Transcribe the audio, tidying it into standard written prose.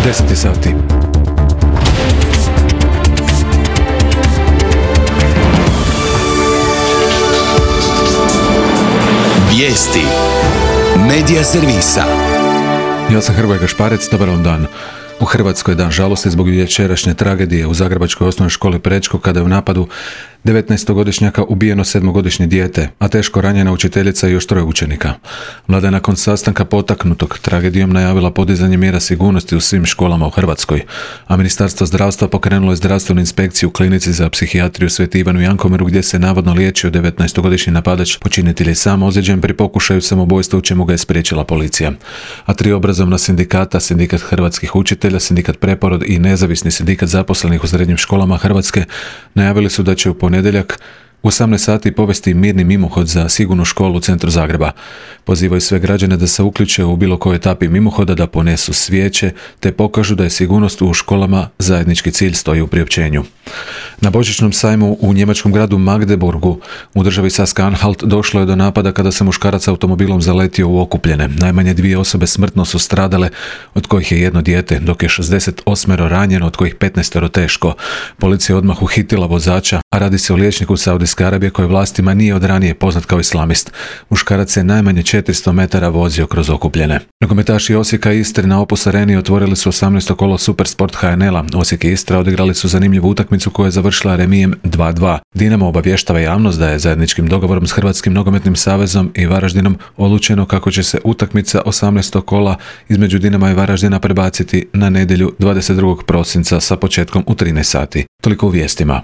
10 sati. Vijesti Medija servisa. Ja sam Hrvoje Gašparec, dobar vam dan. U Hrvatskoj je dan žalosti zbog večerašnje tragedije u zagrebačkoj osnovnoj školi Prečko kada je u napadu 19-godišnjaka ubijeno 7-godišnje dijete, a teško ranjena učiteljica i još 3 učenika. Vlada je nakon sastanka potaknutog tragedijom najavila podizanje mjera sigurnosti u svim školama u Hrvatskoj, a Ministarstvo zdravstva pokrenulo je zdravstvenu inspekciju u klinici za psihijatriju Sveti Ivan u Jankomiru gdje se navodno liječio 19-godišnji napadač. Počinitelj je sam ozlijeđen pri pokušaju samobojstva u čemu ga je spriječila policija. A 3 obrazovna sindikata, Sindikat hrvatskih učitelja, Sindikat Preporod i Nezavisni sindikat zaposlenih u srednjim školama Hrvatske najavili su da će u ponedjeljak u 18 sati povesti mirni mimohod za sigurnu školu u centru Zagreba. Pozivaju sve građane da se uključe u bilo kojoj etapi mimohoda, da ponesu svijeće te pokažu da je sigurnost u školama zajednički cilj, stoji u priopćenju. Na božićnom sajmu u njemačkom gradu Magdeburgu u državi Saska-Anhalt došlo je do napada kada se muškarac automobilom zaletio u okupljene. Najmanje 2 osobe smrtno su stradale, od kojih je 1 dijete, dok je 68 ranjeno, od kojih 15 teško. Policija je odmah uhitila vozača, a radi se o liječniku Saudijske Arabije koji vlastima nije od ranije poznat kao islamist. Muškarac je najmanje 400 metara vozio kroz okupljene. Nogometaši Osijeka i Istre na Opus Areni otvorili su 18. kolo Supersport HNL-a. Osijek i Istra odigrali su zanimljivu utakmicu koja je završila remijem 2:2. Dinamo obavještava javnost da je zajedničkim dogovorom s Hrvatskim nogometnim savezom i Varaždinom odlučeno kako će se utakmica 18. kola između Dinama i Varaždina prebaciti na nedjelju 22. prosinca sa početkom u 13 sati. Toliko u vijestima.